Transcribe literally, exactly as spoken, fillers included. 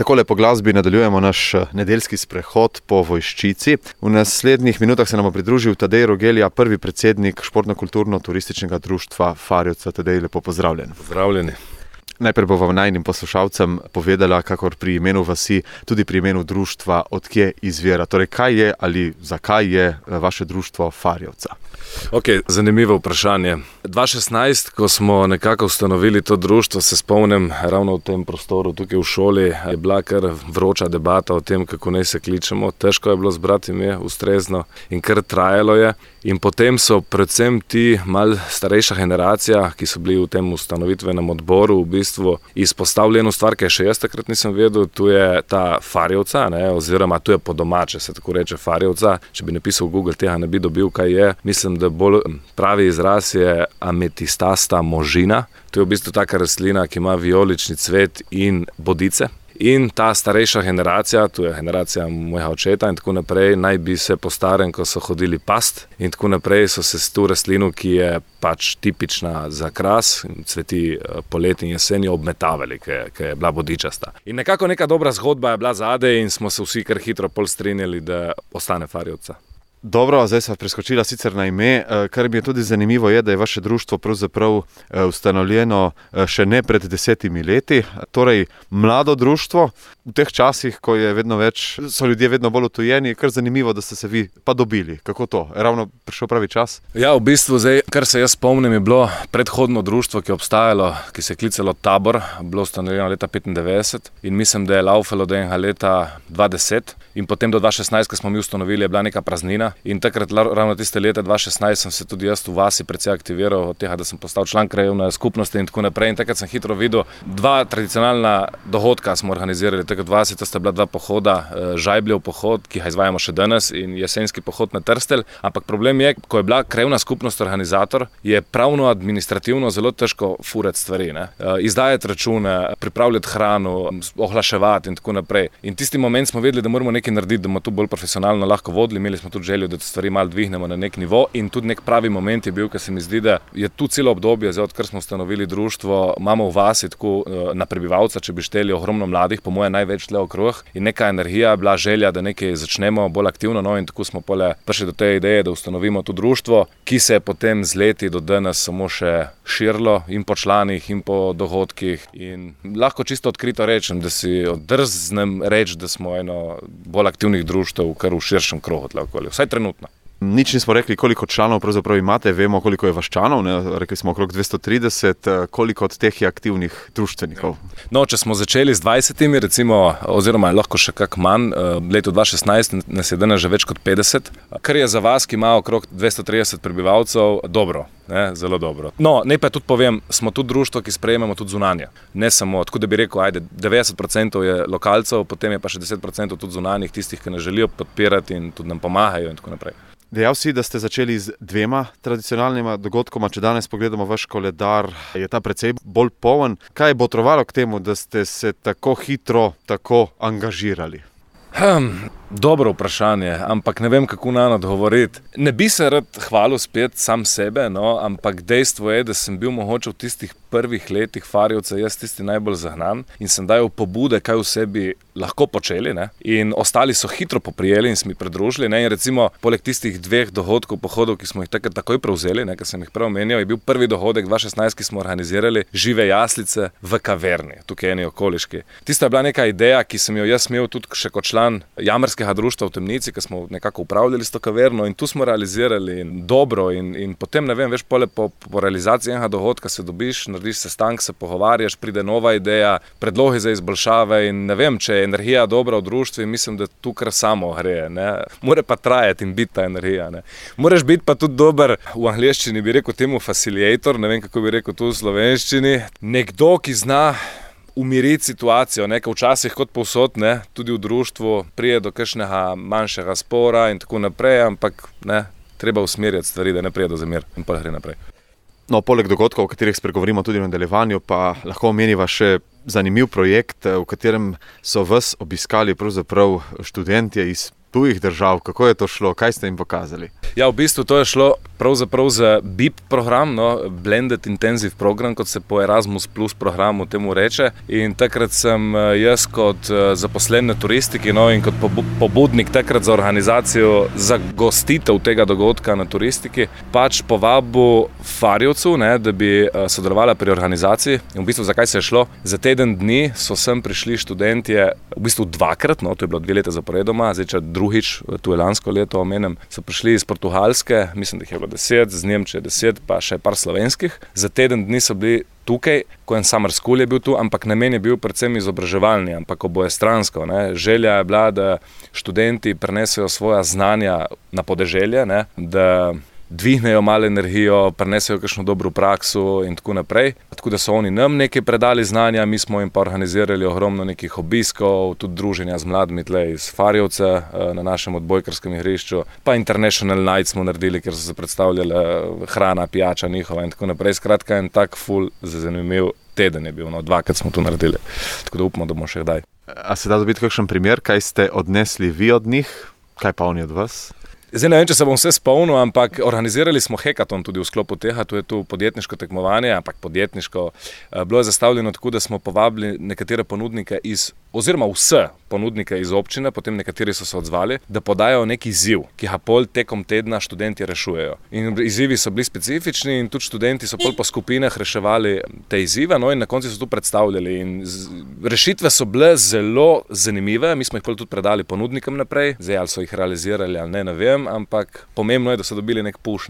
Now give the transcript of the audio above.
Takole po glasbi nadaljujemo naš nedeljski sprehod po Vojščici. V naslednjih minutah se nam bo pridružil Tadej Rogelja, prvi predsednik Športno-kulturno-turističnega društva Farjevca. Tadej, lepo pozdravljen. Pozdravljeni. Najprej bova najnim poslušalcem povedala, kakor pri imenu vasi, tudi pri imenu društva, odkje izvira. Torej, kaj je ali zakaj je vaše društvo Farjevca? Ok, zanimivo vprašanje. dva tisoč šestnajst, ko smo nekako ustanovili to društvo, se spomnim ravno v tem prostoru, tukaj v šoli, je bila kar vroča debata o tem, kako naj se kličemo. Težko je bilo zbrati ime ustrezno in kar trajalo je. In potem so predvsem ti mal starejša generacija, ki so bili v tem ustanovitvenem odboru, v bistvu izpostavili eno stvar, ki je še jaz takrat nisem vedel, tu je ta Farjevca, ne, oziroma tu je po domače, se tako reče Farjevca. Če bi napisal v Google, tega ne bi dobil, kaj je. Mislim, da bolj pravi izraz je ametistasta možina. To je v bistvu taka rastlina, ki ima vijolični cvet in bodice. In ta starejša generacija, tu je generacija mojega očeta in tako naprej, naj bi se po starem, ko so hodili past in tako naprej, so se s to rastlino, ki je pač tipična za kras, cveti poleti in jeseni, obmetavali, ki je bila bodičasta. In nekako neka dobra zgodba je bila zadaj in smo se vsi kar hitro pol strinjali, da ostane Farjevca. Dobro, zdaj sva preskočila sicer na ime, kar mi je tudi zanimivo je, da je vaše društvo pravzaprav ustanovljeno še ne pred desetimi leti, torej mlado društvo. V teh časih, ko je vedno več, so ljudje vedno bolj utujeni, kar zanimivo, da ste se vi pa dobili. Kako to? Je ravno prišel pravi čas? Ja, v bistvu zdaj, kar se jaz spomnim, je bilo predhodno društvo, ki je obstajalo, ki se je klicalo Tabor, bilo ustanovljeno leta petindevetdeset in mislim, da je laufalo do enega leta dva tisoč deset in potem do dva tisoč šestnajst, ko smo mi ustanovili, je bila neka praznina. In takrat, ravno tiste leta dva tisoč šestnajst, sem se tudi jaz v vasi precej aktiviral od tega, da sem postal član krajevne skupnosti in tako naprej. In takrat sem hitro videl, dva tradicionalna dogodka smo organizirali. Takrat v vasi, to sta bila dva pohoda, Žajbljev pohod, ki ga izvajamo še danes, in jesenski pohod na Trstelj. Ampak problem je, ko je bila krajevna skupnost organizator, je pravno administrativno zelo težko furati stvari, ne? Izdajati račune, pripravljati hrano, ohlaševati in tako naprej. In tisti moment smo vedeli, da moramo nekaj narediti, da bomo to bolj profesionalno lahko vodili. Imeli smo tudi željo, da stvari malo dvignemo na nek nivo in tudi nek pravi moment je bil, ker se mi zdi, da je tu celo obdobje, zdaj odkar smo ustanovili društvo, imamo v vasi tako na prebivalca, če bi šteli, ogromno mladih, po moje največ tle okrog in neka energija, bila želja, da nekaj začnemo bolj aktivno, no in tako smo pole prišli do te ideje, da ustanovimo to društvo, ki se je potem z leti do danes samo še širilo in po članih in po dogodkih in lahko čisto odkrito rečem, da si drznem reči, da smo eno bolj aktivnih društev kar v širšem krogu tle okoli, vsaj trenutno. Nič nismo rekli, koliko članov pravzaprav imate, vemo, koliko je vaščanov, ne? Rekli smo okrog dvesto trideset, koliko od teh je aktivnih društvenikov? No, če smo začeli z dvajsetimi, recimo, oziroma je lahko še kak manj, leto dva tisoč šestnajst nas je danes že več kot petdeset, kar je za vas, ki ima okrog dvesto trideset prebivalcev, dobro, ne? Zelo dobro. No, ne pa tudi povem, smo tudi društvo, ki sprejemamo tudi zunanje. Ne samo, tako da bi rekel, ajde, devetdeset procentov je lokalcev, potem je pa še deset procentov tudi zunanjih, tistih, ki nas želijo podpirati in tudi nam pomagajo in tako naprej. Dejal si, da ste začeli z dvema tradicionalnima dogodkoma. Če danes pogledamo vaš koledar, je ta precej bolj poln. Kaj je botrovalo k temu, da ste se tako hitro tako angažirali? Hmm, dobro vprašanje, ampak ne vem, kako na odgovoriti. Ne bi se rad hvalil spet sam sebe, no, ampak dejstvo je, da sem bil mogoče v tistih prvih letih Farjevca jaz tisti najbolj zagnan in sem dajal pobude, kaj v sebi lahko počeli, ne? In ostali so hitro poprijeli in se mi pridružili, ne? In recimo, poleg tistih dveh dogodkov, pohodov, ki smo jih takrat takoj prevzeli, ne? Ker sem jih prej omenil, je bil prvi dogodek dva tisoč šestnajst, ki smo organizirali žive jaslice v kaverni, tukaj eni okoliški. Tista je bila neka ideja, ki sem jo jaz imel tudi še kot član jamarskega društva v Temnici, ki smo nekako upravljali s to kaverno in tu smo realizirali in dobro in, in potem, ne vem, veš, pole po, po realizaciji enega dogodka se dobiš, narediš sestank, se pogovarjaš, pride nova ideja, predlogi za izboljšave in ne vem, če je energija dobra v društvu, mislim, da tu kar samo gre, ne. Mora pa trajati in biti ta energija, ne. Moraš biti pa tudi dober, v angleščini bi rekel temu facilitator, ne vem, kako bi rekel tu v slovenščini, nekdo, ki zna umiriti situacijo, nekaj včasih kot povsod, ne, tudi v društvu prije do kakšnega manjšega spora in tako naprej, ampak ne, treba usmerjati stvari, da ne prije do zamir in pa gre naprej. No, poleg dogodkov, o katerih spregovorimo tudi v nadaljevanju, pa lahko omeniva še zanimiv projekt, v katerem so vas obiskali pravzaprav študentje iz tujih držav. Kako je to šlo? Kaj ste jim pokazali? Ja, v bistvu to je šlo pravzaprav za B I P program, no, Blended Intensive Program, kot se po Erasmus Plus programu temu reče. In takrat sem jaz kot zaposlen na turistiki, no, in kot pobudnik takrat za organizacijo, za gostitev tega dogodka na turistiki, pač povabil Farjevcu, ne, da bi sodelovala pri organizaciji. In v bistvu zakaj se je šlo? Za teden dni so sem prišli študentje, v bistvu dvakrat, no, to je bilo dve leta zaporedoma, zdaj če drugič, tu je lansko leto omenem, so prišli iz Portugalske, mislim, da jih je bilo deset, z Nemčije deset, pa še par slovenskih. Za teden dni so bili tukaj, ko en summer school je bil tu, ampak namen je bil predvsem izobraževalni, ampak obojestransko, ne. Želja je bila, da študenti prenesejo svoja znanja na podeželje, ne, da dvignejo malo energijo, prenesejo kakšno dobro prakso in tako naprej. Tako da so oni nam nekaj predali znanja, mi smo jim pa organizirali ogromno nekih obiskov, tudi druženja z mladimi tle iz Farjevca na našem odbojkarskem igrišču, pa International Night smo naredili, kjer so se predstavljali hrana, pijača njihova in tako naprej. Skratka, en tak ful zanimiv teden je bil, no, dvakrat smo to naredili. Tako da upamo, da bomo še kdaj. A se da dobiti kakšen primer, kaj ste odnesli vi od njih, kaj pa oni od vas? Zdaj ne vem, če se bom vse spomnil, ampak organizirali smo hekaton tudi v sklopu tega, tu je tu podjetniško tekmovanje, ampak podjetniško. Bilo je zastavljeno tako, da smo povabili nekatere ponudnike iz, oziroma vse ponudnike iz občine, potem nekateri so se odzvali, da podajo nek izziv, ki ga pol tekom tedna študenti rešujejo. In izzivi so bili specifični in tudi študenti so pol po skupinah reševali te izzive, no, in na koncu so tu predstavljali. In rešitve so bile zelo zanimive, mi smo jih pol tudi predali ponudnikom naprej, zdaj ali so jih realizirali ali ne, ne vem, ampak pomembno je, da so dobili nek push.